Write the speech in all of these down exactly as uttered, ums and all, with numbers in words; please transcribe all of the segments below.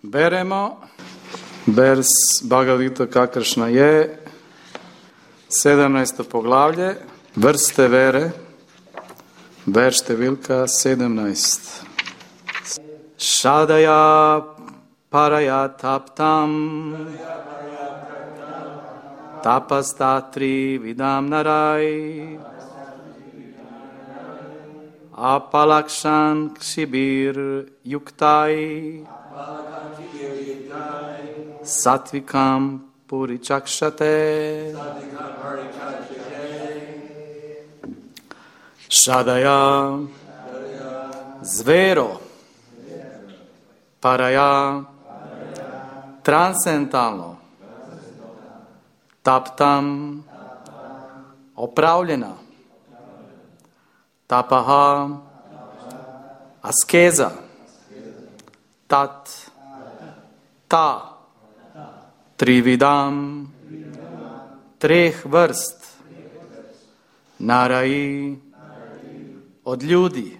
Beremo vers Bhagavad Gita kakršna je, sedemnaesto poglavlje, vrste vere, verš številka sedemnaest. Šadaja paraya taptam tapastatri vidam narai apalakshan kshibir yuktai satvikam purichakshate. Šadaja zvero paraya transcendentalno taptam opravljena tapaha askeza tat ta trividam treh vrst narai od ljudi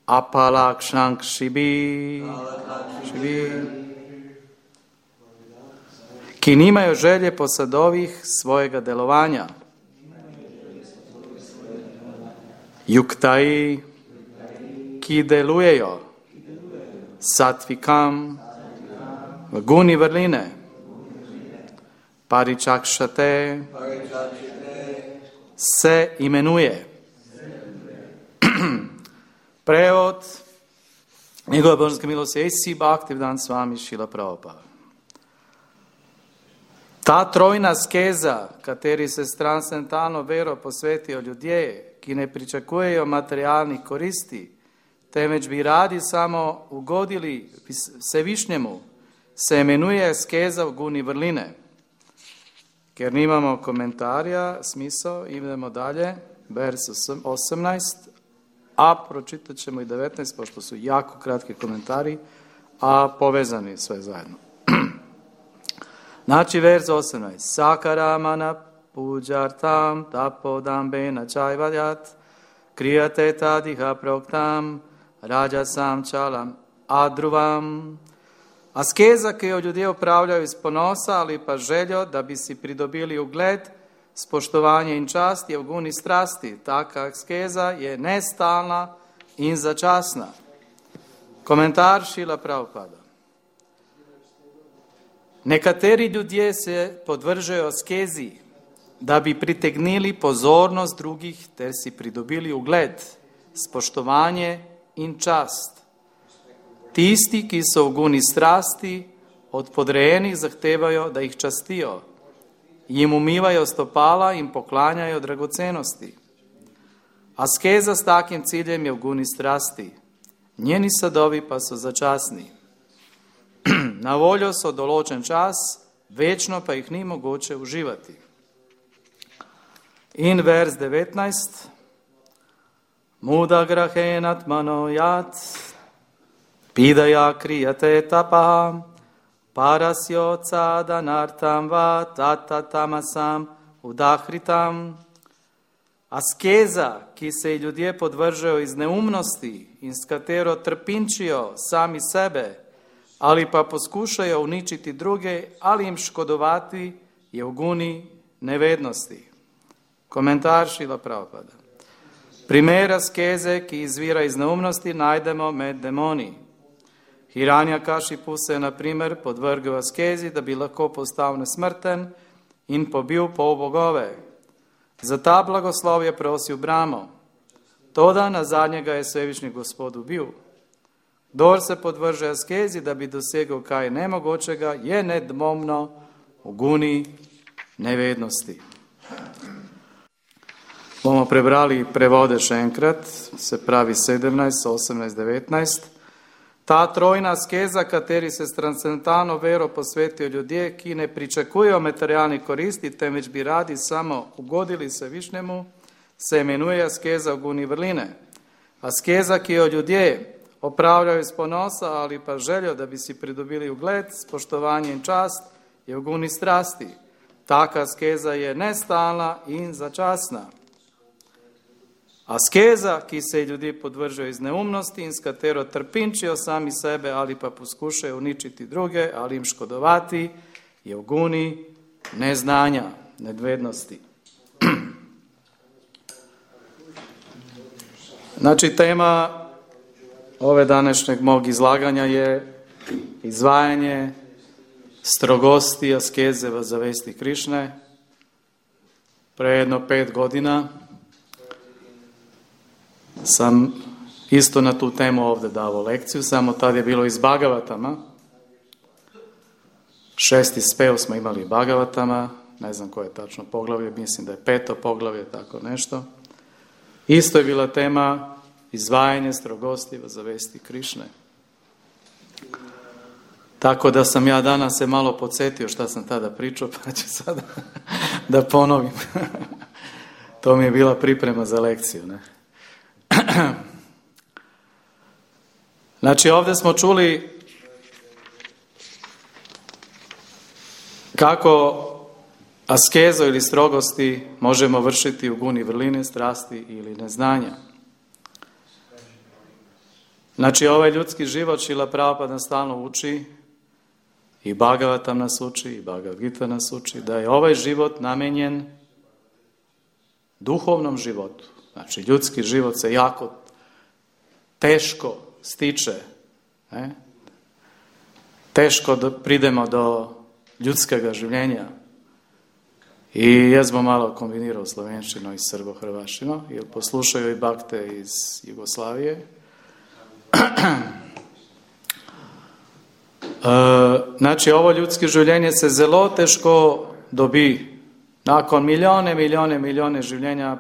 apalakshank šibi ki nimaju želje po sadovih svojega delovanja. Yuktai ki delujejo satvikam v guni vrline. Paričakšate se imenuje. Prevod njegove božanske milosti A C Bhaktivedanta Swami Srila Prabhupada. Ta trojna skeza, kateri se s transcendentalno vero posvetijo ljudje, ki ne pričakujejo materialnih koristi, temveč bi radi samo ugodili Vsevišnjemu, se imenuje skeza v guni vrline. Ker nimamo komentarja, smisel, idemo dalje, vers osemnaest, a pročitat ćemo i devetnaest, pošto su jako kratki komentari, a povezani sve zajedno. Znači, vers osemnaest. Sakaramana pujartam tapodambena čajvajat kriyate tadiha proktam rajasam čalam adruvam. Askeza koju ljudje upravljaju iz ponosa, ali pa željo da bi si pridobili ugled, spoštovanje in čast je v guni strasti. Taka askeza je nestalna in začasna. Komentar Šrila Prabhupada. Nekateri ljudje se podvržajo askezi, da bi pritegnili pozornost drugih ter si pridobili ugled, spoštovanje in čast. Tisti, ki so v guni strasti, od podrejenih zahtevajo, da jih častijo, jim umivajo stopala in poklanjajo dragocenosti. Askeza s takim ciljem je v guni strasti, njeni sadovi pa so začasni. Na voljo so določen čas, večno pa jih ni mogoče uživati. In vers devetnaest. Muda grahenat manojat pidaya kriyate tapa parasyo cadanartam va tatatamasam udahritam. Askeza, ki se ljudje podvržajo iz neumnosti in s katero trpinčijo sami sebe, ali pa poskušajo uničiti druge ali jim škodovati, je v guni nevednosti. Komentar Šrila Prabhupada. Primer askeze, ki izvira iz neumnosti, najdemo med demoni. Hiranyakashipu se na primer podvrgel askezi, da bi lahko postal nesmrten in pobil pol bogove. Za ta blagoslov je prosil Brahmo. Toda na zadnjega je Svevišnji Gospod ubil. Kdor se podvrže askezi, da bi dosegel kaj nemogočega, je nedvomno v guni nevednosti. Bomo prebrali prevode še enkrat, se pravi sedemnaest, osemnaest, devetnaest. Ta trojna askeza, kateri se s transcendentalno vero posvetijo ljudje, ki ne pričakujejo materialnih koristi, temveč bi radi samo ugodili Vsevišnjemu, se imenuje askeza v guni vrline. Askeza, ki jo ljudje opravljajo iz ponosa ali pa željo, da bi si pridobili ugled, spoštovanje in čast, je v guni strasti. Taka askeza je nestalna in začasna. Askeza, ki se ljudi podvržujejo iz neumnosti in s katero trpinčijo sami sebe ali pa poskušajo uničiti druge ali jim škodovati, je v guni neznanja, nedvednosti. Znači, tema ove današnjeg mog izlaganja je izvajanje strogosti askeze v zavesti Krišne. Pre jedno pet godina sam isto na tu temu ovdje davo lekciju, samo tad je bilo iz Bhagavatama. Šesti spev smo imali Bhagavatama, ne znam koje je tačno poglavlje, mislim da je peto poglavlje, tako nešto. Isto je bila tema izvajanje strogosti v zavesti Krišne. Tako da sam ja danas se malo podsjetio šta sam tada pričao, pa ću sada da ponovim. To mi je bila priprema za lekciju, ne? Znači, ovdje smo čuli kako askezo ili strogosti možemo vršiti u guni vrline, strasti ili neznanja. Znači, ovaj ljudski život Šrila Prabhupada nas stalno uči, i Bhagavatam nas uči, i Bhagavad Gita nas uči, da je ovaj život namenjen duhovnom životu. Znači, ljudski život se jako teško stiče. Ne? Teško da pridemo do ljudskega življenja. I jaz bom malo kombinirao slovenščino i srbo-hrvaščino, jer poslušaju i bakte iz Jugoslavije. Znači, ovo ljudsko življenje se zelo težko dobi. Nakon milijone, milijone, milijone življenja,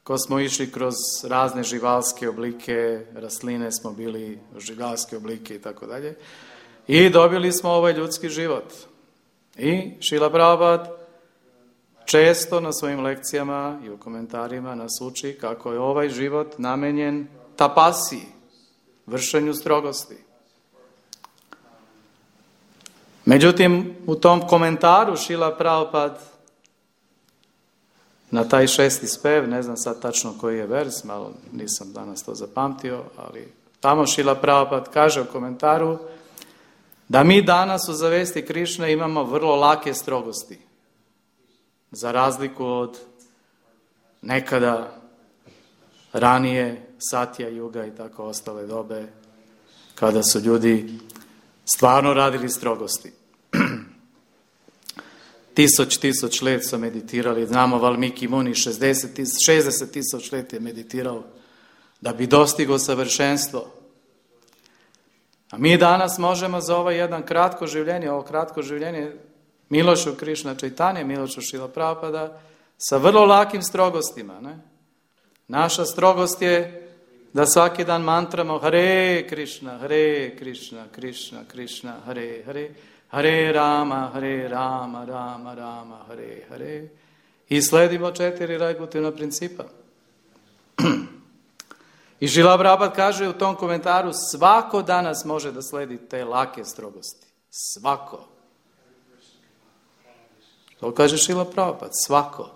ko smo išli kroz razne živalske oblike, rastline smo bili živalske oblike i tako dalje. I dobili smo ovaj ljudski život. I Šrila Prabhupada često na svojim lekcijama i u komentarima nas uči kako je ovaj život namenjen tapasiji, vršenju strogosti. Međutim, u tom komentaru Šrila Prabhupada na taj šesti spev, ne znam sad tačno koji je vers, malo nisam danas to zapamtio, ali tamo Šrila Prabhupada kaže u komentaru da mi danas u zavesti Krišne imamo vrlo lake strogosti, za razliku od nekada ranije Satja Juga i tako ostale dobe, kada su ljudi stvarno radili strogosti. Tisoč, tisoč let su meditirali, znamo Valmiki Muni, šezdeset tisoč let je meditirao da bi dostigao savršenstvo. A mi danas možemo za ovaj jedan kratko življenje, ovo kratko življenje Milošu Krišna Čajtanje, Milošu Šrila Prabhupada, sa vrlo lakim strogostima. Ne? Naša strogost je da svaki dan mantramo Hare Krišna, Hare Krišna, Krišna, Krišna, Hare, Hare, Hare Rama, Hare Rama, Rama, Rama, Hare, Hare. I sledimo četiri rajgutivna principa. I Šrila Prabhupada kaže u tom komentaru, svako danas može da sledi te lake strogosti. Svako. To kaže Šrila Prabhupada, svako.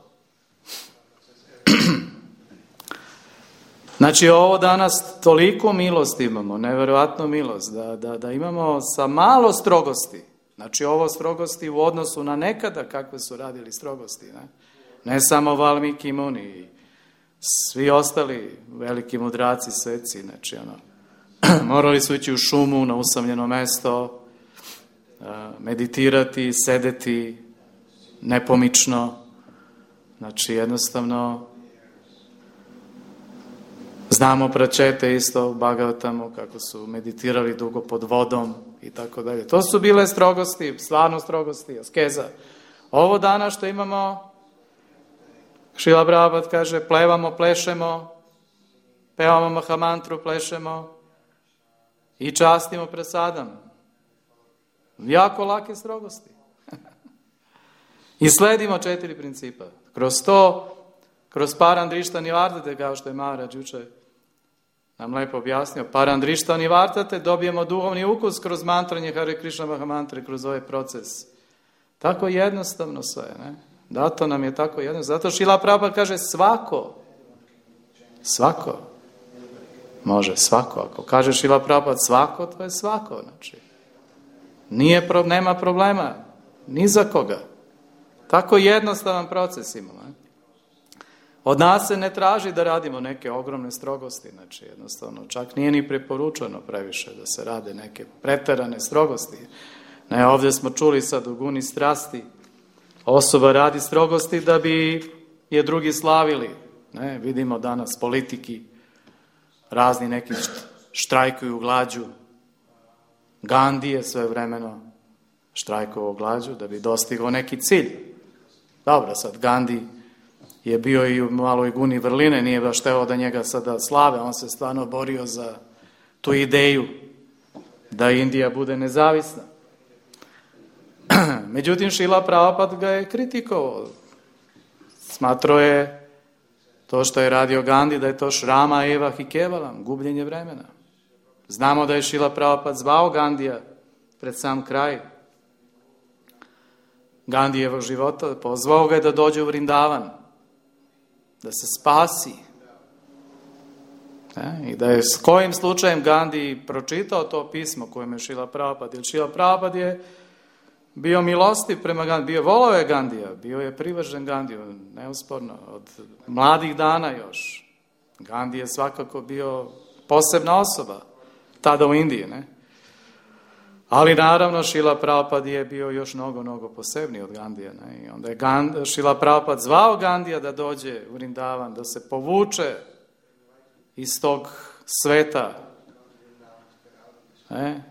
Znači, ovo danas toliko milosti imamo, nevjerojatnu milost, da, da, da imamo sa malo strogosti. Znači, ovo strogosti u odnosu na nekada kakve su radili strogosti. Ne, ne samo Valmiki Muni, svi ostali veliki mudraci, sveci. Znači, ono, morali su ići u šumu, na usamljeno mesto, meditirati, sedeti nepomično. Znači, jednostavno, znamo pračete isto u Bhagavatamu, kako su meditirali dugo pod vodom i tako dalje. To su bile strogosti, stvarno strogosti, askeza. Ovo danas što imamo, Šrila Prabhupada kaže, plevamo, plešemo, pevamo Mahamantru, plešemo i častimo prasadam. Jako lake strogosti. I sledimo četiri principa. Kroz to, kroz Parandrišta Nivartate, kao što je Maharaj juče nam lepo objasnio, Parandrišta Nivartate, dobijemo duhovni ukus kroz mantranje Hare Krishna Mahamantre, kroz ovaj proces. Tako jednostavno sve, ne? Zato nam je tako jednostavno. Zato Šrila Prabhupada kaže svako. Svako. Može svako. Ako kaže Šrila Prabhupada svako, to je svako. Znači, nije, nema problema. Ni za koga. Tako jednostavan proces imamo. Od nas se ne traži da radimo neke ogromne strogosti. Znači, jednostavno, čak nije ni preporučeno previše da se rade neke preterane strogosti. Ne, ovdje smo čuli sad u guni strasti. Osoba radi strogosti da bi je drugi slavili. Ne, vidimo danas politiki, razni neki štrajkuju glađu. Gandhi je sve vremeno štrajkovao glađu da bi dostigao neki cilj. Dobro, sad Gandhi je bio i u maloj guni vrline, nije baš teo da njega sada slave, on se stvarno borio za tu ideju da Indija bude nezavisna. Međutim, Šrila Prabhupada ga je kritikovao. Smatrao je to što je radio Gandhi, da je to šrama eva hi kevalam, gubljenje vremena. Znamo da je Šrila Prabhupada zvao Gandija pred sam kraj Gandijevog života, pozvao ga je da dođe u Vrindavan, da se spasi. E, I da je s kojim slučajem Gandhi pročitao to pismo kojem je Šrila Prabhupada, jer Šrila Prabhupada je bio milostiv prema Gandhi, bio volao je Gandija, bio je privržen Gandiju, neusporno, od mladih dana još. Gandhi je svakako bio posebna osoba, tada u Indiji, ne? Ali naravno Šrila Prabhupada je bio još mnogo, mnogo posebniji od Gandija. Ne? I onda je Gand, Šrila Prabhupada zvao Gandija da dođe u Vrindavan, da se povuče iz tog sveta, ne?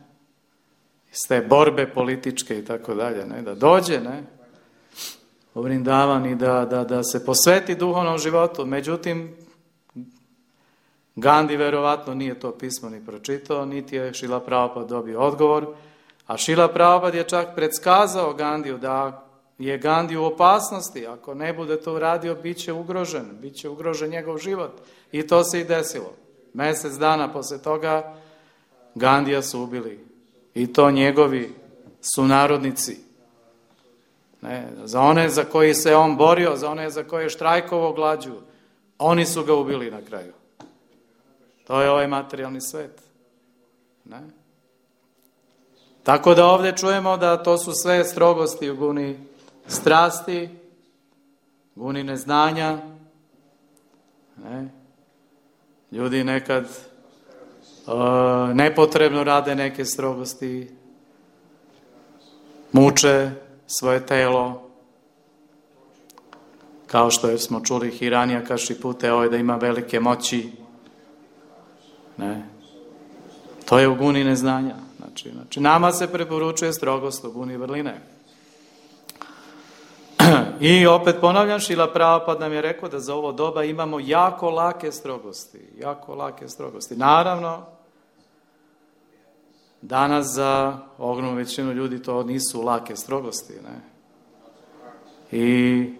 Iz te borbe političke i tako dalje, ne? Da dođe, ne? U Vrindavan i da, da, da se posveti duhovnom životu. Međutim, Gandhi verovatno nije to pismo ni pročitao, niti je Šrila Prabhupada dobio odgovor, a Šrila Prabhupada je čak predskazao Gandiju da je Gandhi u opasnosti, ako ne bude to uradio, bit će ugrožen, bit će ugrožen njegov život. I to se i desilo. Mjesec dana posle toga Gandija su ubili. I to njegovi sunarodnici. Ne, za one za koji se on borio, za one za koje je štrajkovao glađu, oni su ga ubili na kraju. To je ovaj materijalni svet. Ne? Tako da ovdje čujemo da to su sve strogosti u guni strasti, guni neznanja. Ne? Ljudi nekad uh, nepotrebno rade neke strogosti, muče svoje telo, kao što smo čuli Hiranija Kašipute, ovaj da ima velike moći. Ne. To je u guni neznanja. Znači, znači, nama se preporučuje strogost u guni vrline. I opet ponavljam, Šrila Prabhupada nam je rekao da za ovo doba imamo jako lake strogosti. Jako lake strogosti. Naravno, danas za ogromnu većinu ljudi to nisu lake strogosti. Ne? I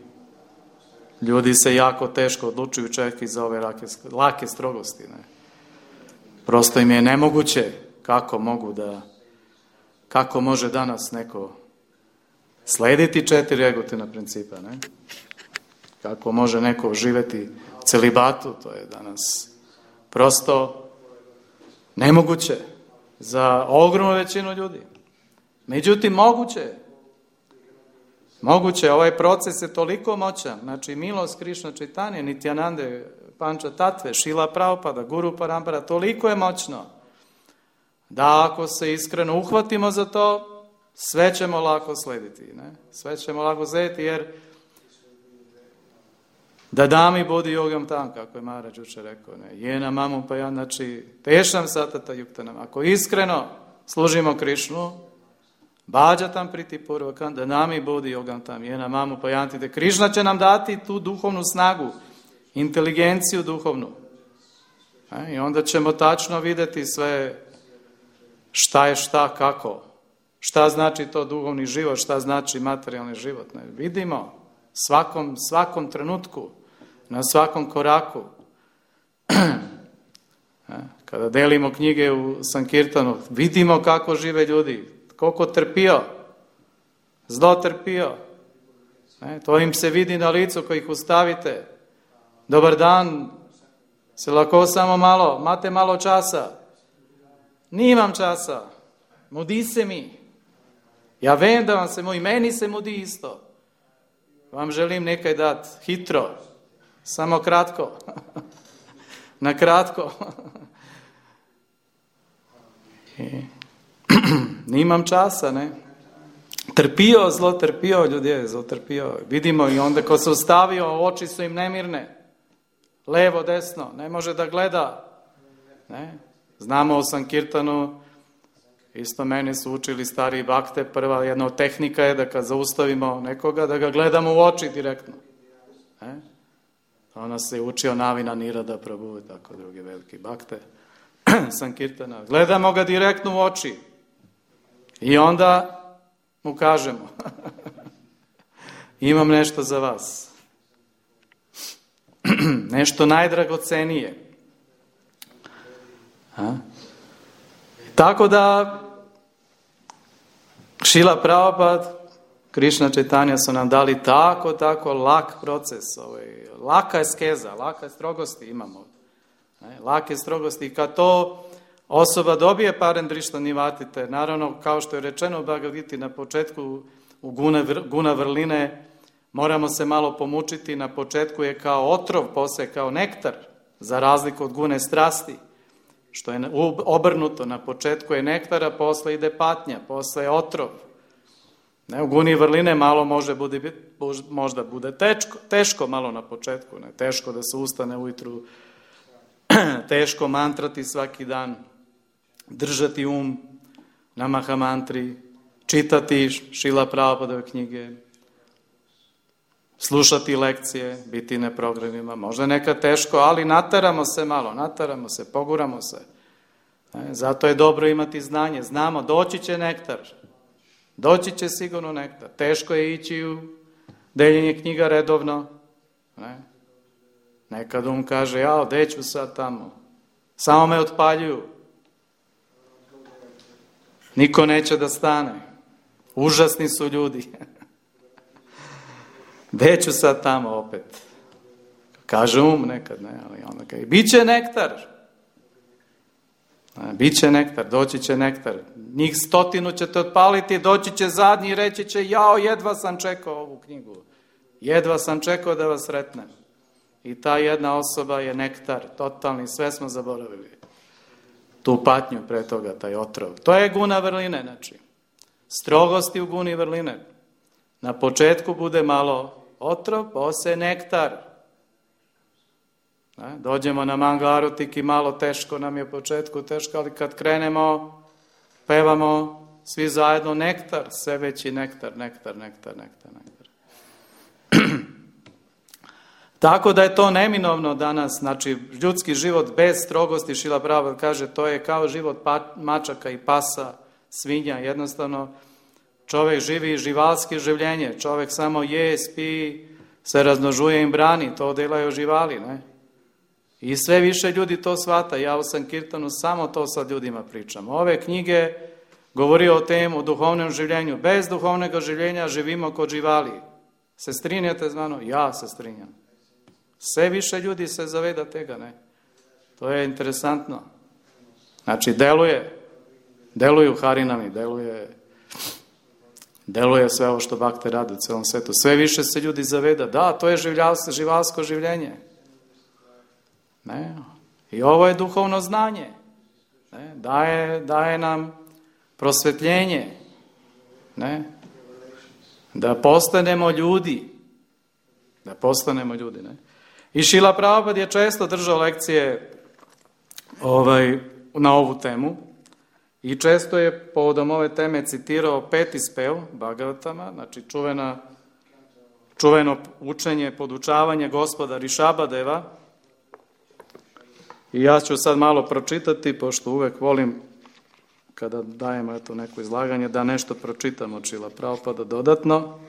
ljudi se jako teško odlučuju čak i za ove lake, lake strogosti. Ne? Prosto im je nemoguće kako mogu da, kako može danas neko slediti četiri egotina principa, ne? Kako može neko živjeti u celibatu, to je danas prosto nemoguće za ogromnu većinu ljudi. Međutim, moguće. Moguće, ovaj proces je toliko moćan, znači milost Krišna Čajtanje, Nityanande, Panča Tatve, Šrila Prabhupada, Guru Parampara, toliko je moćno da ako se iskreno uhvatimo za to, sve ćemo lako slediti. Ne? Sve ćemo lako slediti jer da dami budi jogam tam, kako je Maharaj juče rekao, ne? Jena mamu pa ja, znači tešam satata yuktanam. Ako iskreno služimo Krišnu, bađa tam priti purvakan, da nami budi jogam tam, jena mamu pa jantite. Krišna će nam dati tu duhovnu snagu, inteligenciju duhovnu. E, I onda ćemo tačno vidjeti sve šta je šta, kako. Šta znači to duhovni život, šta znači materijalni život. Ne? Vidimo svakom, svakom trenutku, na svakom koraku. E, kada delimo knjige u Sankirtanu, vidimo kako žive ljudi, koliko trpio, zlo trpio. E, to im se vidi na licu koji ih ustavite. Dobar dan, Se lahko samo malo, imate malo časa? Nimam časa. Mudi se mi. Ja vem, da vam se mudi, meni se mudi isto. Vam želim nekaj dati, hitro, samo kratko. Na kratko. Nimam časa, ne? Trpijo, zelo trpijo ljudje, zelo trpijo. Vidimo i onda ko se ustavio, oči su im nemirne. Levo, desno, ne može da gleda. Ne? Znamo o Sankirtanu, isto meni su učili stari bakte, prva jedna od tehnika je da kad zaustavimo nekoga, da ga gledamo u oči direktno. Ne? Ona se učio Navina Nirada Prabhu, tako drugi veliki bakte Sankirtana. Gledamo ga direktno u oči i onda mu kažemo imam nešto za vas. Nešto najdragocenije. A? Tako da Šrila Prabhupada, Krišna Čaitanja su nam dali tako, tako lak proces. Ovaj, laka je skeza, laka je strogosti imamo. Ne? Lake strogosti. I kad to osoba dobije Parendrišta Nivatite, naravno, kao što je rečeno u Bhagavad Giti na početku u guna, guna vrline, moramo se malo pomučiti. Na početku je kao otrov, posle kao nektar, za razliku od gune strasti. Što je obrnuto, na početku je nektara, posle ide patnja, posle je otrov. Ne, u guni vrline malo može bude, možda bude teško, teško malo na početku, ne, teško da se ustane ujutru, teško mantrati svaki dan, držati um na mahamantri, čitati Šrila Prabhupadove knjige, slušati lekcije, biti na programima. Možda nekad teško, ali nataramo se malo, nataramo se, poguramo se. Ne? Zato je dobro imati znanje. Znamo, doći će nektar. Doći će sigurno nektar. Teško je ići u deljenje knjiga redovno. Ne? Nekad um kaže, ja, gde ću sad tamo? Samo me otpaljuju. Niko neće da stane. Užasni su ljudi. Gde ću sad tamo opet? Kaže um nekad, ne, ali onda kaže, bit će nektar. Biće nektar, doći će nektar. Njih stotinu ćete otpaliti, doći će zadnji i reći će, jao, jedva sam čekao ovu knjigu. Jedva sam čekao da vas sretnem. I ta jedna osoba je nektar, totalni, sve smo zaboravili. Tu patnju pre toga, taj otrov. To je guna vrline, znači. Strogosti u guni vrline. Na početku bude malo otrov, posle nektar. Ne? Dođemo na Mangarutik i malo teško nam je u početku, teško, ali kad krenemo, pevamo svi zajedno nektar, sve veći nektar, nektar, nektar, nektar, nektar. Tako da je to neminovno danas, znači ljudski život bez strogosti, Šrila Prabhupada kaže, to je kao život pa, mačaka i pasa, svinja, jednostavno čovjek živi živalski življenje, čovjek samo je, spi, se raznožuje i brani, to delaju živali, ne? I sve više ljudi to shvata, ja u Sankirtanu samo to sa ljudima pričam. Ove knjige govori o temu, o duhovnom življenju, bez duhovnog življenja živimo kod živali. Se strinjate z mano? Ja se strinjam. Sve više ljudi se zaveda tega, ne? To je interesantno. Znači, deluje, deluju harinami, deluje, deluje sve ovo što bakte rade u celom svetu. Sve više se ljudi zaveda, da, to je življalsko, živalsko življenje. Ne? I ovo je duhovno znanje. Ne? Daje, daje nam prosvetljenje. Ne? Da postanemo ljudi. Da postanemo ljudi, ne? I Šrila Prabhupada je često držao lekcije ovaj, na ovu temu i često je povodom ove teme citirao peti spev Bhagavatama, znači čuvena, čuveno učenje, podučavanje gospoda Rišabadeva. I ja ću sad malo pročitati, pošto uvek volim kada dajemo eto neko izlaganje, da nešto pročitam od Šrila Prabhupada dodatno.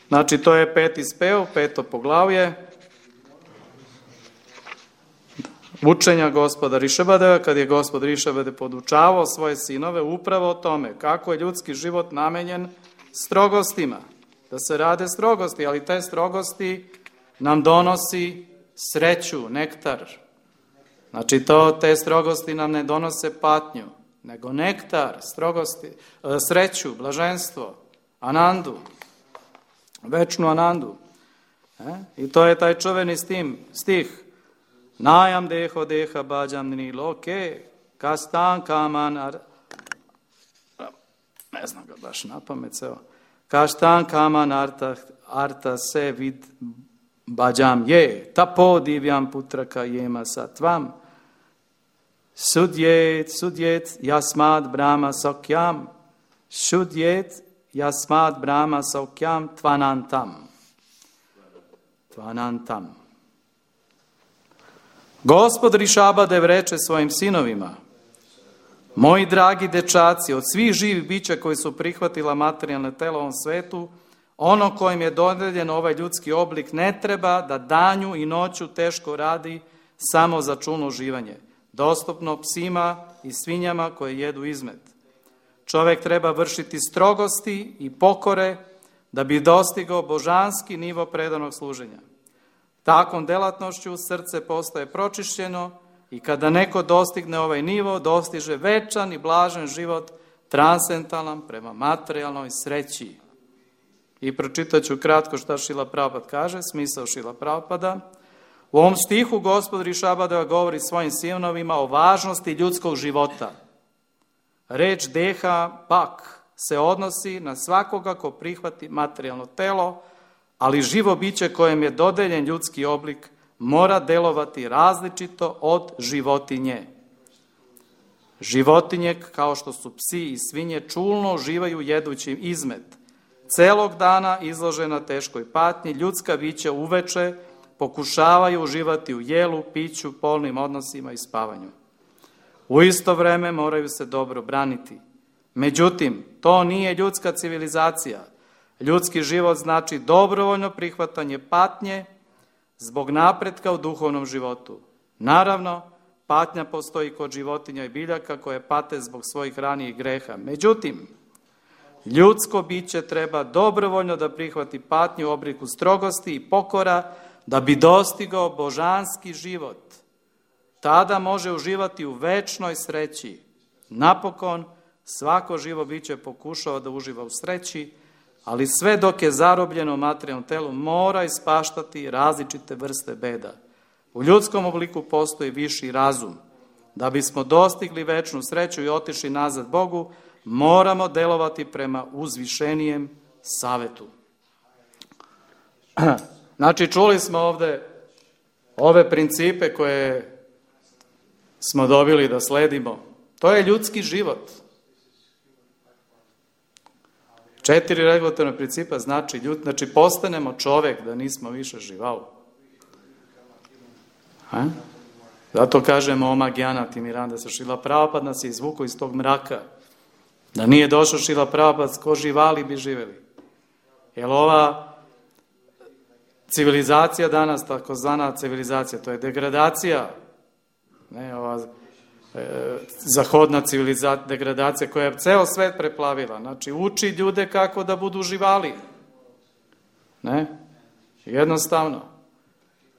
Znači to je peti spev, peto poglavlje. Učenja gospoda Rišabadeva, kad je gospod Rišabade podučavao svoje sinove upravo o tome kako je ljudski život namenjen strogostima, da se rade strogosti, ali te strogosti nam donosi sreću, nektar, Znači, to, te strogosti nam ne donose patnju, nego nektar, strogosti, sreću, blaženstvo, anandu, večnu anandu. E? I to je taj čuveni stih. Najam deho deha bađam ni loke, kastan kaman, ar... ne znam ga baš na pamet, evo. Kastan kaman arta, arta se vid bađam je, tapo divjam putraka jema satvam, sudjet, sudjet, jasmad brahma sokyam, sudjet, jasmad brahma sokyam, tvanantam. Tvanantam. Gospod Rišabadev reče svojim sinovima, moji dragi dečaci, od svih živih bića koji su prihvatila materijalne telo u ovom svetu, ono kojim je dodeljen ovaj ljudski oblik ne treba da danju i noću teško radi samo za čulno uživanje, dostupno psima i svinjama koje jedu izmet. Čovjek treba vršiti strogosti i pokore da bi dostigao božanski nivo predanog služenja. Takvom delatnošću srce postaje pročišćeno i kada neko dostigne ovaj nivo, dostiže večan i blažen život, transcendentalan prema materijalnoj sreći. I pročitat ću kratko šta Šrila Prabhupada kaže, smisao Šrila Prabhupada. U ovom stihu Gospod Rišabadeva govori svojim sinovima o važnosti ljudskog života. Reč deha pak se odnosi na svakoga ko prihvati materijalno telo, ali živo biće kojem je dodeljen ljudski oblik mora delovati različito od životinje. Životinje, kao što su psi i svinje, čulno uživaju jedući izmet. Celog dana izložena teškoj patnji, ljudska bića uveče pokušavaju uživati u jelu, piću, polnim odnosima i spavanju. U isto vreme moraju se dobro braniti. Međutim, to nije ljudska civilizacija. Ljudski život znači dobrovoljno prihvatanje patnje zbog napretka u duhovnom životu. Naravno, patnja postoji kod životinja i biljaka koje pate zbog svojih ranijih greha. Međutim, ljudsko biće treba dobrovoljno da prihvati patnju u obliku strogosti i pokora da bi dostigao božanski život. Tada može uživati u večnoj sreći. Napokon, svako živo biće pokušava da uživa u sreći, ali sve dok je zarobljeno u materijalnom telu mora ispaštati različite vrste beda. U ljudskom obliku postoji viši razum. Da bismo dostigli večnu sreću i otišli nazad Bogu, moramo delovati prema uzvišenijem savetu. Znači, čuli smo ovde ove principe koje smo dobili da sledimo. To je ljudski život. Četiri regulatorne principa znači, ljud, znači postanemo čovek, da nismo više živao. Ha? Zato kažemo Oma Gyana Timiranda sa Šrila Prabhupada nas je izvukao iz tog mraka. Da nije došao Šrila Prabhupada, ko živali bi živeli. Jer ova civilizacija danas, takozvana civilizacija, to je degradacija, ne ova e, zahodna civilizacija, degradacija koja je ceo svet preplavila. Znači, uči ljude kako da budu živali. Ne? Jednostavno.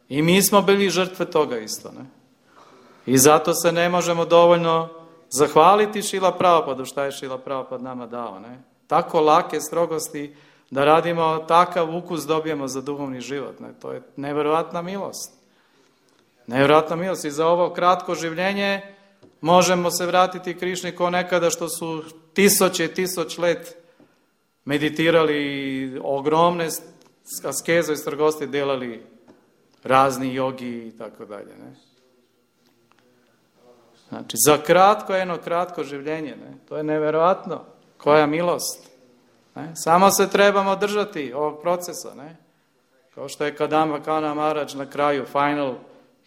I mi smo bili žrtve toga isto, ne? I zato se ne možemo dovoljno zahvaliti Šrila Prabhupadu šta je Šrila Prabhupada nama dao, ne? Tako lake strogosti da radimo takav ukus dobijemo za duhovni život, ne? To je nevjerovatna milost. Nevjerovatna milost i za ovo kratko življenje možemo se vratiti Krišni ko nekada što su tisoće i tisoč let meditirali, ogromne askeze i strogosti delali razni jogi i tako dalje, ne? Znači, za kratko, jedno kratko življenje, ne? To je nevjerovatno. Koja milost. Ne? Samo se trebamo držati ovog procesa, ne? Kao što je Kadamba Kana Maharaj na kraju, final,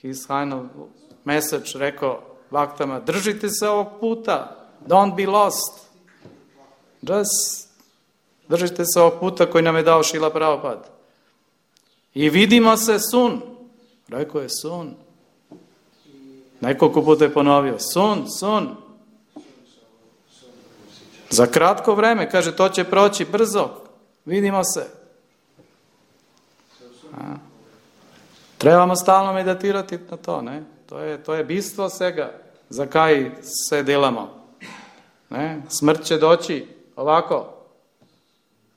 his final message rekao vaktama, držite se ovog puta, don't be lost. Just držite se ovog puta koji nam je dao Šrila Prabhupada. I vidimo se sun. Rekao je sun. Nekoliko puta je ponovio. Sun, sun. Za kratko vreme. Kaže, to će proći brzo. Vidimo se. A? Trebamo stalno meditirati na to, ne? To je, to je bistvo svega, za kaj se delamo. Ne? Smrt će doći ovako.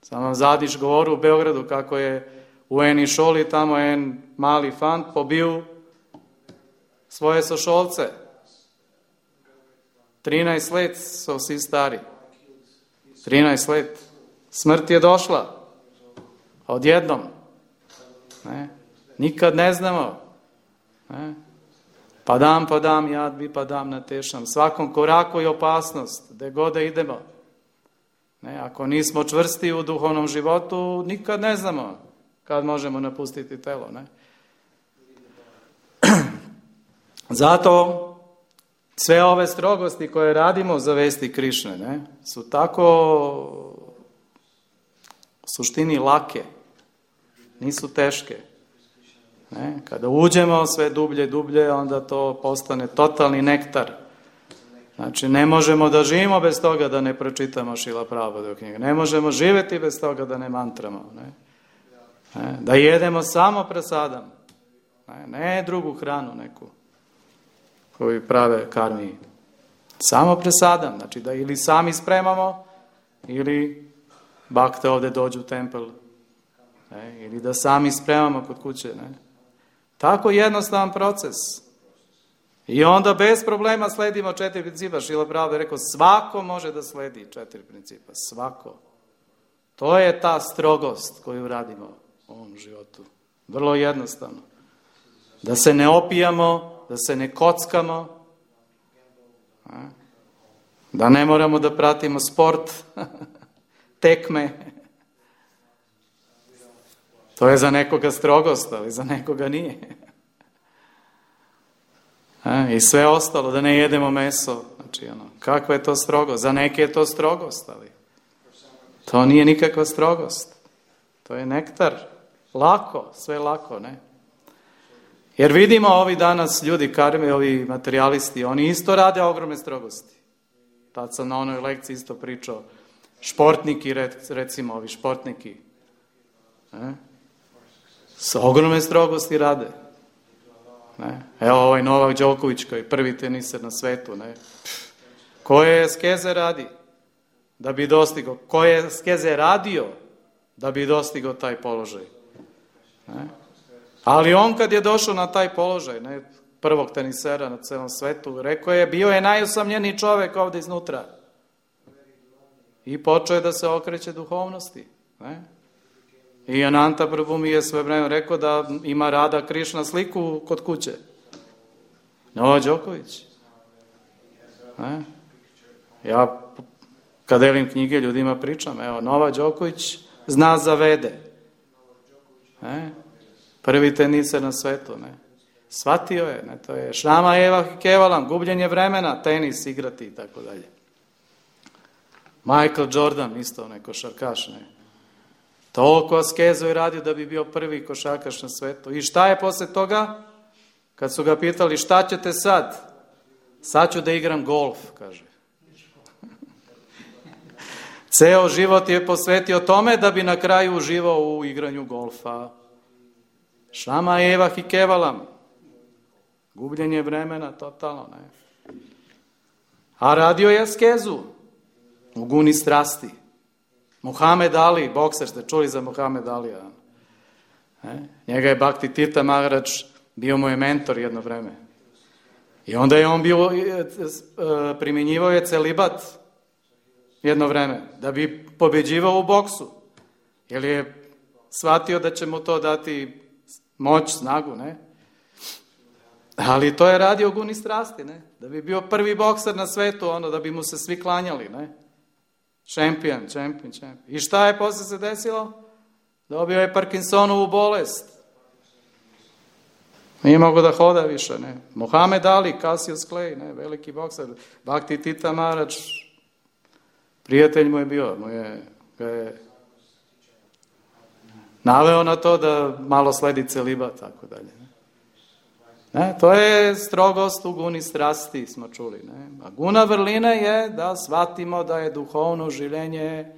Sam vam zadnjič govoril u Beogradu, kako je u eni šoli tamo en mali fant pobil svoje sošolce. trinaest let so vsi stari. trinaest let. Smrt je došla. Odjednom. Ne? Nikad ne znamo. Ne? Padam, padam, jad bi padam na tešam. Svakom koraku je opasnost, gde god da idemo. Ne? Ako nismo čvrsti u duhovnom životu, nikad ne znamo kad možemo napustiti telo. Ne? Zato sve ove strogosti koje radimo za vesti Krišne, ne, su tako u suštini lake, nisu teške. Ne? Kada uđemo sve dublje, dublje, onda to postane totalni nektar. Znači, ne možemo da živimo bez toga da ne pročitamo Šrila Prabhupada knjige. Ne možemo živjeti bez toga da ne mantramo. Ne? Ne? Da jedemo samo prasadam. Ne? Ne drugu hranu neku koju prave karmiji. Samo prasadam. Znači, da ili sami spremamo, ili bakte ovdje dođu u tempel. Ne? Ili da sami spremamo kod kuće. Ne? Tako jednostavan proces. I onda bez problema sledimo četiri principa. Šrila Prabhupada je rekao, svako može da sledi četiri principa. Svako. To je ta strogost koju radimo u ovom životu. Vrlo jednostavno. Da se ne opijamo, da se ne kockamo, da ne moramo da pratimo sport, tekme. To je za nekoga strogost, ali za nekoga nije. I sve ostalo, da ne jedemo meso. Znači, ono, kakva je to strogost? Za neke je to strogost, ali to nije nikakva strogost. To je nektar. Lako, sve lako, ne? Jer vidimo ovi danas ljudi, karme, ovi materijalisti, oni isto rade ogromne strogosti. Tad sam na onoj lekciji isto pričao. Športniki, recimo, ovi športniki. Ne? S ogromne strogosti rade. Ne? Evo ovaj Novak Đoković koji je prvi teniser na svetu. Ne? Koje skeze radi da bi dostigao? Koje skeze radio da bi dostigao taj položaj? Ne? Ali on kad je došao na taj položaj, ne, prvog tenisera na celom svetu, rekao je, bio je najusamljeniji čovek ovdje iznutra. I počeo je da se okreće duhovnosti. Ne? I Ananta Prabhu mi je sve vreme rekao da ima Rada Krišna sliku kod kuće. Novak Đoković. Ne? Ja kad delim knjige ljudima pričam, evo, Novak Đoković zna za Vede. Ne? Prvi teniser na svetu, ne. Shvatio je, ne, to je Šrama Eva Kevalam, gubljenje vremena, tenis igrati i tako dalje. Michael Jordan, isto ne, košarkaš, ne. Toliko askezu je radio da bi bio prvi košarkaš na svetu. I šta je posle toga? Kad su ga pitali, šta ćete sad? Sad ću da igram golf, kaže. Ceo život je posvetio tome da bi na kraju uživao u igranju golfa. Šrama Eva Hikevalam. Gubljenje vremena, totalno, ne. A radio je askezu. U guni strasti. Muhamed Ali, bokser, ste čuli za Muhamed Alija. Ne? Njega je Bhakti Tirtha Maharaj, bio mu je mentor jedno vreme. I onda je on bio, primjenjivao je celibat jedno vreme, da bi pobeđivao u boksu. Jer je shvatio da će mu to dati moć, snagu, ne? Ali to je radio guni strasti, ne? Da bi bio prvi bokser na svetu, ono, da bi mu se svi klanjali, ne? Šampion, šampion, šampion. I šta je posle se desilo? Dobio je Parkinsonovu bolest. Nije mogo da hoda više, ne? Muhamed Ali, Cassius Clay, ne? Veliki bokser. Bhakti Tirtha Maharaj, prijatelj mu je bio, mu je, ga je naveo na to da malo sledi celibat, tako dalje. Ne? Ne? To je strogost u guni strasti, smo čuli. Ne? A guna vrline je da shvatimo da je duhovno življenje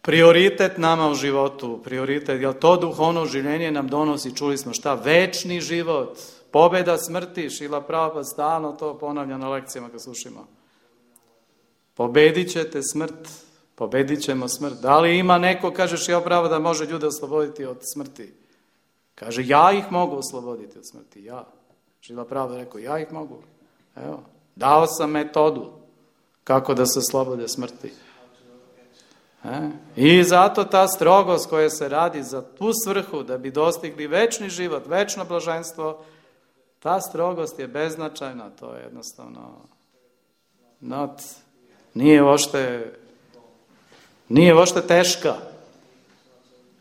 prioritet nama u životu, prioritet, jer to duhovno življenje nam donosi, čuli smo šta, večni život, pobjeda smrti, Šrila Prabhupada stalno to ponavlja na lekcijama kad slušimo. Pobedit ćete smrt, pobedit ćemo smrt. Da li ima neko, kaže Šrila Prabhupada, da može ljude osloboditi od smrti? Kaže, ja ih mogu osloboditi od smrti, ja. Šrila Prabhupada rekao, ja ih mogu. Evo, dao sam metodu kako da se oslobode smrti. E? I zato ta strogost koja se radi za tu svrhu, da bi dostigli večni život, večno blaženstvo, ta strogost je beznačajna, to je jednostavno not, nije ošte, nije ošte teška.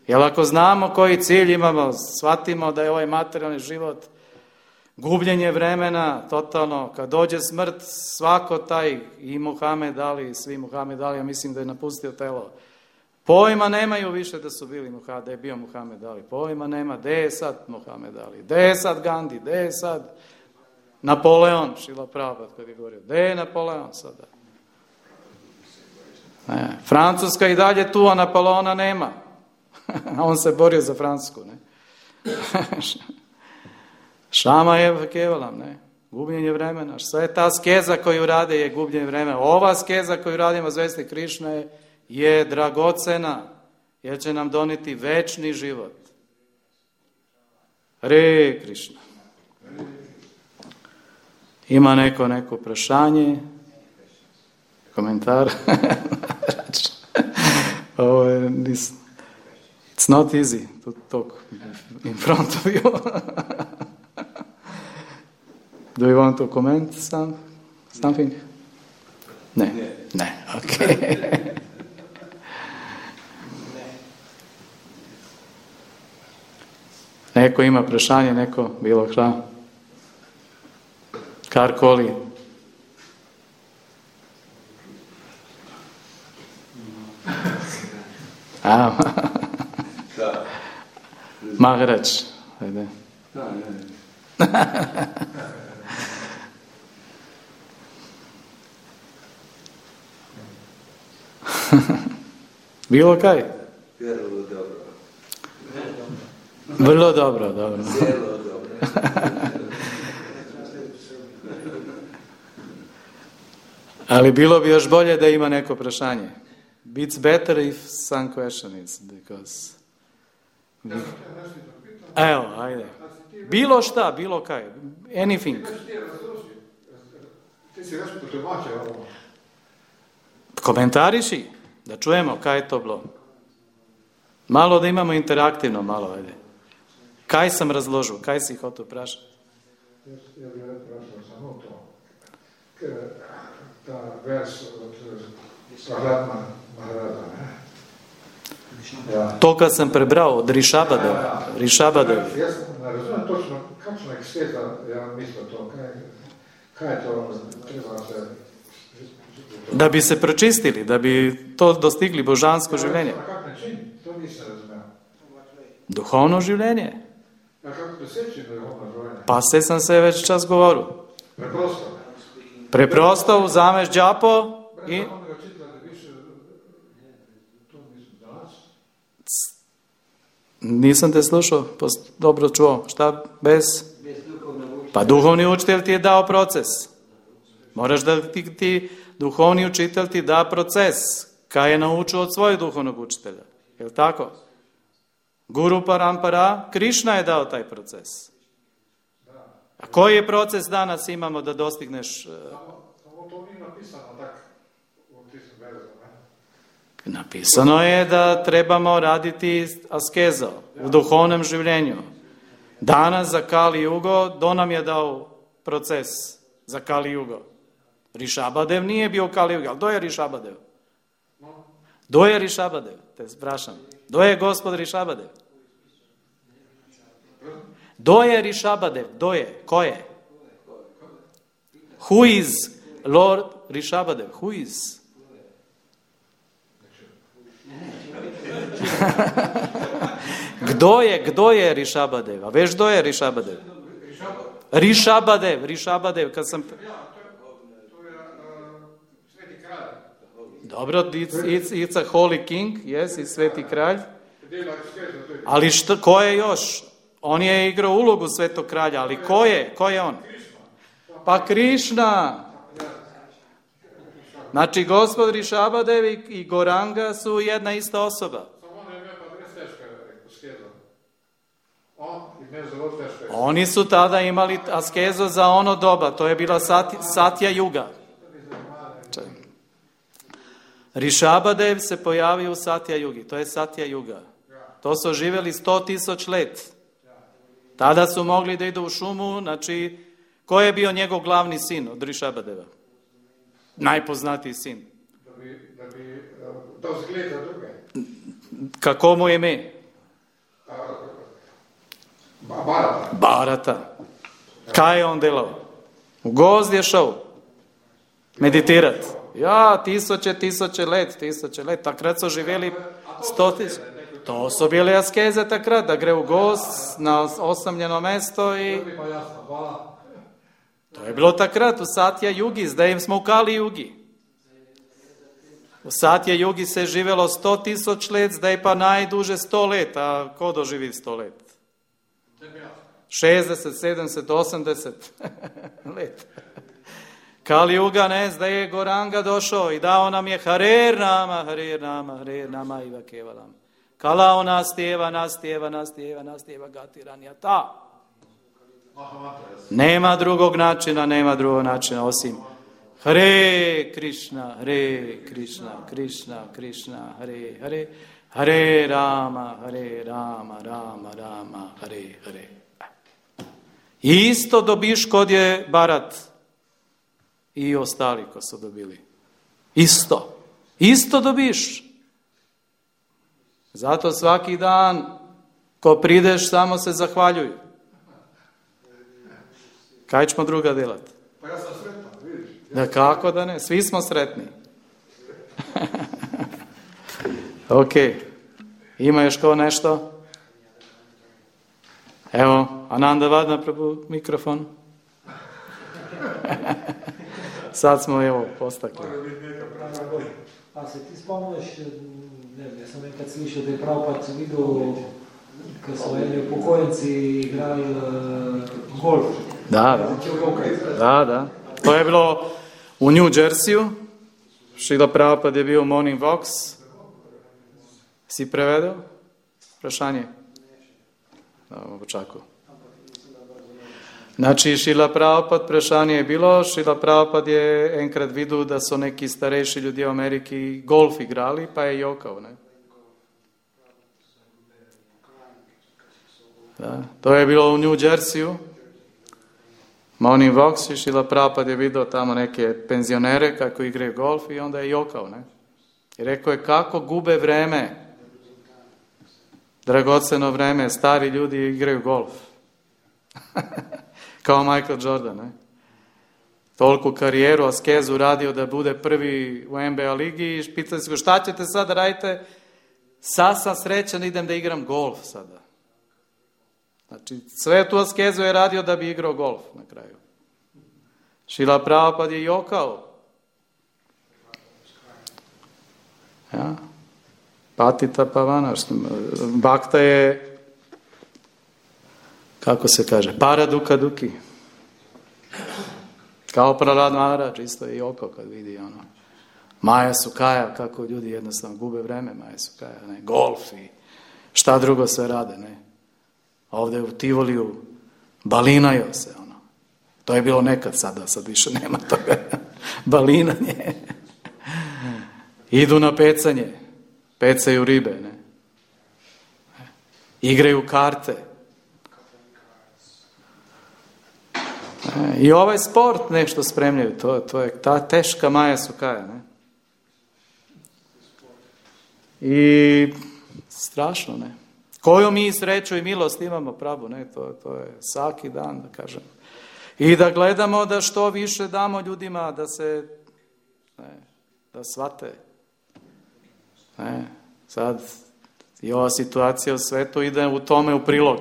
Jer ako znamo koji cilj imamo, shvatimo da je ovaj materijalni život gubljenje vremena, totalno, kad dođe smrt, svako taj, i Muhamed Ali, i svi Muhamed Ali, ja mislim da je napustio telo. Pojma nemaju više da su bili Muhamed, da je bio Muhamed Ali. Pojma nema, gde je sad Muhamed Ali, gde je sad Gandhi, gde je sad Napoleon, Šrila Prabhupada kad je govorio, gde je Napoleon sada? Ne, Francuska i dalje tu, a Napoleona nema. On se borio za Francusku, ne? Šama je kevalam, ne? Gubljenje vremena. Sve je ta skeza koju rade je gubljenje vremena. Ova skeza koju radimo zvesti Krišne je dragocena, jer će nam doniti večni život. Hare Krišna. Ima neko neko prašanje? Komentar? Ovo je, it's not easy to talk in front of you. Do you want to comment some, something? Ne, ne, ok. Neko ima prašanje, neko bilo šta? Karkoli? A, Maharač, ajde. Bilo kaj? Vrlo dobro. Vrlo dobro, dobro. Zelo dobro. Ali bilo bi još bolje da ima neko prašanje. It's better if some question is, because... Evo, ajde. Bilo šta, bilo kaj. Anything. Ti si već potumačio ovo. Komentariši, da čujemo kaj je to bilo. Malo da imamo interaktivno, malo, ajde. Kaj sam razložil, kaj si hotel prašati? Jaz, jaz bi rad prašal samo to. Ker ta vers od Svaratma Maharaja, ne? Ja. To, kad sam prebral od Rišabadeva. Ja, ja. Rišabadev. Jaz ne razumem točno, kakšna eksteza ja misli to, kaj, kaj je to, treba se... Da bi se pročistili, da bi to dostigli božansko življenje. Na kak način? To nisem razumel. Duhovno življenje. A kako doseči duhovno življenje? Pa se sam se već čas govoril. Preprosto. Preprosto vzameš džapo i... Nisam te slušao, dobro čuo. Šta? Bez? Pa duhovni učitelj ti je dao proces. Moraš da ti, ti duhovni učitelj ti da proces. Kaj je naučio od svojeg duhovnog učitelja. Je li tako? Guru Parampara, Krišna je dao taj proces. A koji je proces danas imamo da dostigneš... Samo to nije napisano tako u tisem verzama. Napisano je da trebamo raditi askezo u duhovnom življenju. Danas za Kali Jugo, do nam je dao proces za Kali Jugo. Rišabadev nije bio Kali Jugo, ali do je Rišabadev? Do je Rišabadev, te sprašam. Do je gospod Rišabadev? Do je Rišabadev, do je, ko je? Who is Lord Rišabadev? Who is? Kdo je, kdo je Rišabadev? A veš, kdo je Rišabadev? Rišabadev, Rišabadev, kad sam... Dobro, it's, it's, it's a holy king, yes, i sveti kralj. Ali što, ko je još? On je igrao ulogu svetog kralja, ali ko je? Ko je on? Pa Krišna. Znači, gospod Rišabadev i Goranga su jedna ista osoba. Oni su tada imali askezu za ono doba, to je bila sati, Satja Juga. Rišabadev se pojavio u Satja Jugi, to je Satja Juga. To su živjeli sto tisuć let. Tada su mogli da idu u šumu, znači, ko je bio njegov glavni sin od Rišabadeva? Najpoznatiji sin. Da bi, da bi to zgleda druge. Kako mu je ime? Barata. Barata. Kaj je on delao? U gozd je šao. Meditirat. Ja, tisuće, tisuće let, tisuće let. Takrat su živjeli sto tisuća. To su bile askeze takrat, da gre u gozd na osamljeno mesto i... To je bilo takrat u Satja Jugi, zdaj smo u Kali Jugi. U Satja Jugi se živjelo sto tisuć let, zdaj pa najduže sto let, a ko doživi sto let? šezdeset, sedamdeset, osamdeset let. Kali Juga, ne, zdaj je Goranga došao i dao nam je Harer Nama, Harer Nama, Harer Nama Iva Kevalam. Kalao nastjeva, nastjeva, nastjeva, nastjeva Gatiranja ta. Nema drugog načina, nema drugog načina osim Hare Krishna, Hare Krishna, Krishna, Krishna, Hare Hare, Hare Rama, Hare Rama, Rama, Rama, Hare Hare. I isto dobiš kod je Barat i ostali ko su dobili. Isto. Isto dobiš. Zato svaki dan ko prideš samo se zahvaljuj. Kaj ćemo druga delati? Pa ja sam sretan, vidiš. Da kako da ne? Svi smo sretni. Ok. Ima još ko nešto? Evo, Ananda Vadna, Prabhu, mikrofon. Sad smo, evo, postakli. A se ti spomniš, ne vem, jaz sem enkrat slišal, da je Prabhupada videl, ko so eni upokojenci igrali uh, golf. Da, da. Da, da. To je bilo u New Jerseyu. Šrila Prabhupada je bio Morning Vox. Si prevedel? Vprašanje? Da, počakaj. Znači, Šrila Prabhupada, vprašanje je bilo, Šrila Prabhupada je enkrat videl, da so neki starejši ljudje v Ameriki golf igrali, pa je jokal, ne? Da, to je bilo u New Jerseyu. Morning Vox i Šrila Prabhupada je vidio tamo neke penzionere kako igraju golf i onda je jokao, ne? I rekao je kako gube vreme, dragoceno vreme, stari ljudi igraju golf. Kao Michael Jordan, ne? Toliko karijeru, askezu radio da bude prvi u N B A ligi i pitali se go šta ćete sad da radite? Sad sam srećan, idem da igram golf sada. Znači, sve tu askezu je radio da bi igrao golf na kraju. Šrila Prabhupada je jokao. Ja. Patita Pavana. Bhakta je, kako se kaže, Paraduka Duki. Kao Prahlad Maharaj, isto je jokao kad vidi ono. Maja Sukaja, kako ljudi jednostavno gube vreme, Maja Sukaja, ne, golf i šta drugo sve rade, ne. Ovdje u Tivoliju balinaju se, ono. To je bilo nekad sada, sad više nema toga. Balinanje. Idu na pecanje. Pecaju ribe, ne. Igraju karte. I ovaj sport nešto spremljaju. To, to je ta teška Maja Sukaja, ne. I strašno, ne. Koju mi sreću i milost imamo, Prabhu, ne, to, to je svaki dan, da kažem. I da gledamo da što više damo ljudima da se, ne, da shvate. Ne, sad i ova situacija u svetu ide u tome u prilog.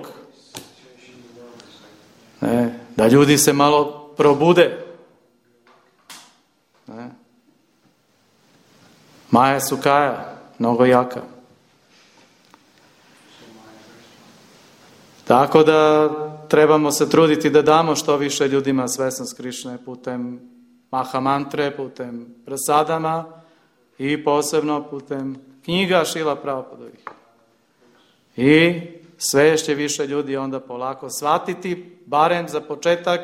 Ne, da ljudi se malo probude. Ne. Maja Sukaja, mnogo jaka. Tako da trebamo se truditi da damo što više ljudima svesnost Krišne putem mahamantre, putem prasadama i posebno putem knjiga Šrila Prabhupadovih. I sve će više ljudi onda polako shvatiti, barem za početak,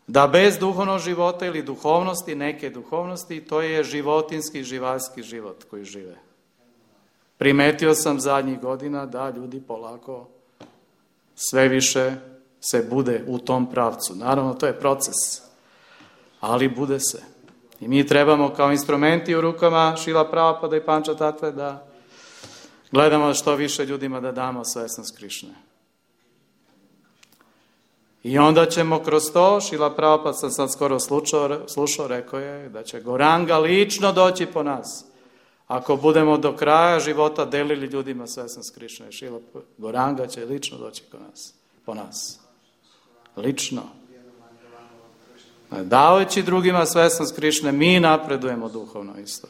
da bez duhovnog života ili duhovnosti, neke duhovnosti, to je životinski, živalski život koji žive. Primetio sam zadnjih godina da ljudi polako sve više se bude u tom pravcu. Naravno, to je proces, ali bude se. I mi trebamo kao instrumenti u rukama Šrila Prabhupada i Pančatatve da gledamo što više ljudima da damo svesnost Krišne. I onda ćemo kroz to, Šrila Prabhupada sam sad skoro slušao, slušao, rekao je da će Goranga lično doći po nas. Ako budemo do kraja života delili ljudima svesnost Krišne, Šrila Goranga će lično doći po nas. Po nas. Lično. Davajući drugima svesnost Krišne, mi napredujemo duhovno isto.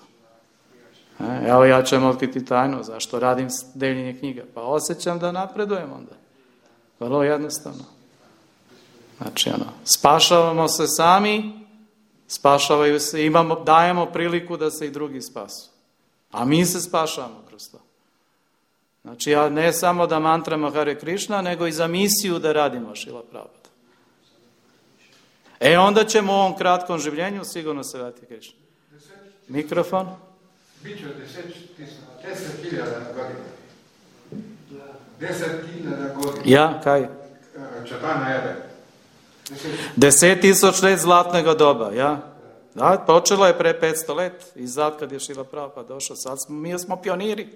E, evo ja ću vam otkriti tajnu, zašto radim deljenje knjiga. Pa osjećam da napredujem onda. Vrlo jednostavno. Znači, ono, spašavamo se sami, spašavaju se, imamo, dajemo priliku da se i drugi spasu. A mi se spašavamo kroz to. Znači, ja ne samo da mantramo Hare Krišna, nego i za misiju da radimo Šrila Prabhupada. E, onda ćemo u ovom kratkom življenju sigurno se vratiti Krišna. Mikrofon. Biće deset hiljada godina. Deset hiljada godina. Ja, kaj? Čatana jede. Deset tisuć let zlatnog doba, ja? Da, počelo je pre petsto let, i zad kad je Šrila Prabhupada došao, sad smo, mi smo pioniri.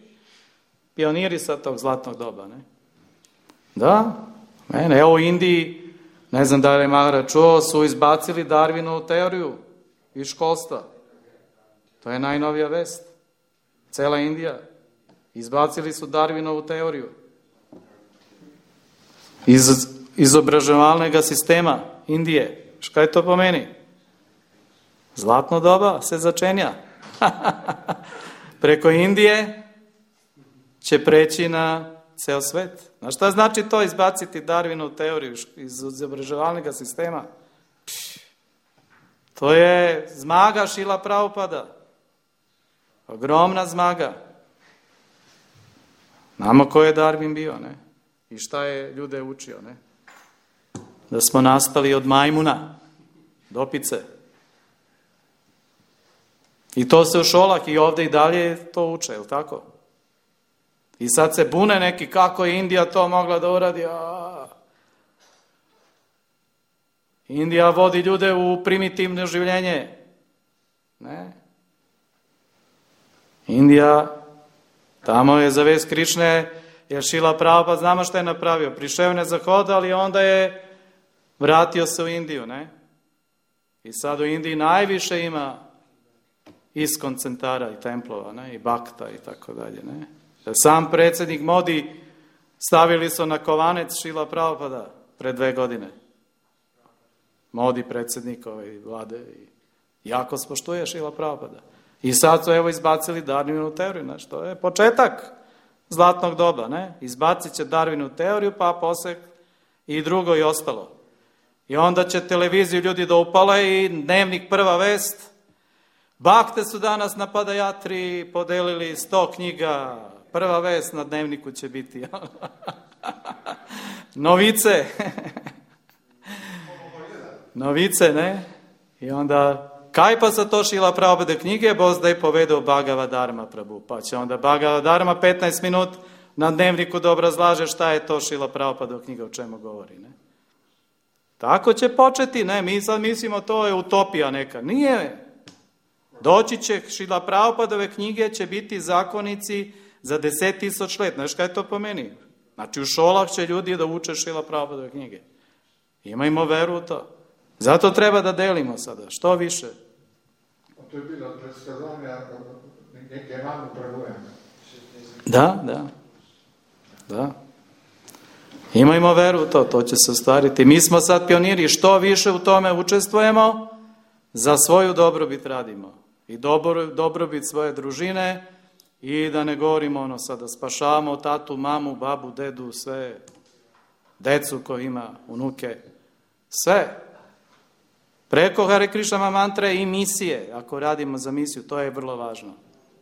Pioniri sad tog zlatnog doba, ne? Da, mene, evo u Indiji, ne znam da li je Mahara čuo, su izbacili Darwinovu teoriju iz školstva. To je najnovija vest. Cela Indija. Izbacili su Darwinovu teoriju. Iz izobraževalnog sistema Indije. Šta je to po meni? Zlatno doba se začenja. Preko Indije će preći na ceo svet. Znaš šta znači to izbaciti Darwinovu teoriju iz izobraževalnog sistema? Pš, to je zmaga Šrila Prabhupada. Ogromna zmaga. Znamo ko je Darwin bio, ne? I šta je ljude učio, ne? Da smo nastali od majmuna, dopice. I to se u šolak i ovdje i dalje to uče, je li tako? I sad se bune neki kako je Indija to mogla da uradi. A... Indija vodi ljude u primitivno življenje. Ne? Indija, tamo je za vest Krišne, jer Šrila Prabhupada, znamo šta je napravio. Prišao ne zahoda, ali onda je vratio se u Indiju, ne? I sad u Indiji najviše ima iskon centara i templova, ne? I bakta i tako dalje, ne? Sam predsjednik Modi stavili su na kovanec Šrila Prabhupada pre dve godine. Modi predsjednik ove vlade i jako spoštuje Šrila Prabhupada. I sad su evo izbacili Darwinovu teoriju, znači to je početak zlatnog doba, ne? Izbacit će Darwinovu teoriju, pa posle i drugo i ostalo. I onda će televiziju ljudi da upale i dnevnik prva vest. Bakte su danas na Padajatri podelili sto knjiga. Prva vest na dnevniku će biti. Novice. Novice, ne? I onda, kaj pa sa to Šrila Prabhupada knjige, boz da je povedao Bhagavad Dharma Prabhu. Pa će onda Bhagavad Dharma petnaest minut na dnevniku da obrazlaže šta je to Šrila Prabhupada knjiga, o čemu govori, ne? Tako će početi, ne? Mi sad mislimo to je utopija neka. Nije. Doći će Šrila Prabhupadove knjige, će biti zakonici za deset tisuć let. Znaš kaj je to po meni? Znači u šolak će ljudi da uče Šrila Prabhupadove knjige. Imajmo veru u to. Zato treba da delimo sada, što više. To je bilo predskazanja neke manu Prabhujana. Da, da. Da. Imajmo veru u to, to će se ostvariti. Mi smo sad pioniri, što više u tome učestvujemo, za svoju dobrobit radimo. i dobro, dobrobit svoje družine i da ne govorimo ono sad da spašavamo tatu, mamu, babu, dedu, sve, decu koji ima, unuke, sve. Preko Hare Krišna mantre i misije, ako radimo za misiju, to je vrlo važno.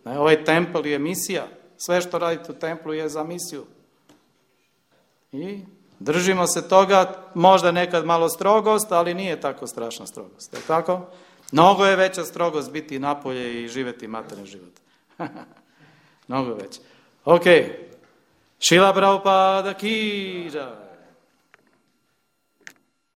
Ne, ovaj templ je misija, sve što radite u templu je za misiju. I držimo se toga, možda nekad malo strogost, ali nije tako strašna strogost. Je tako? Mnogo je veća strogost biti napolje i živjeti materijalni život. Mnogo je veća. Ok. Šila Prabhupada ki jai.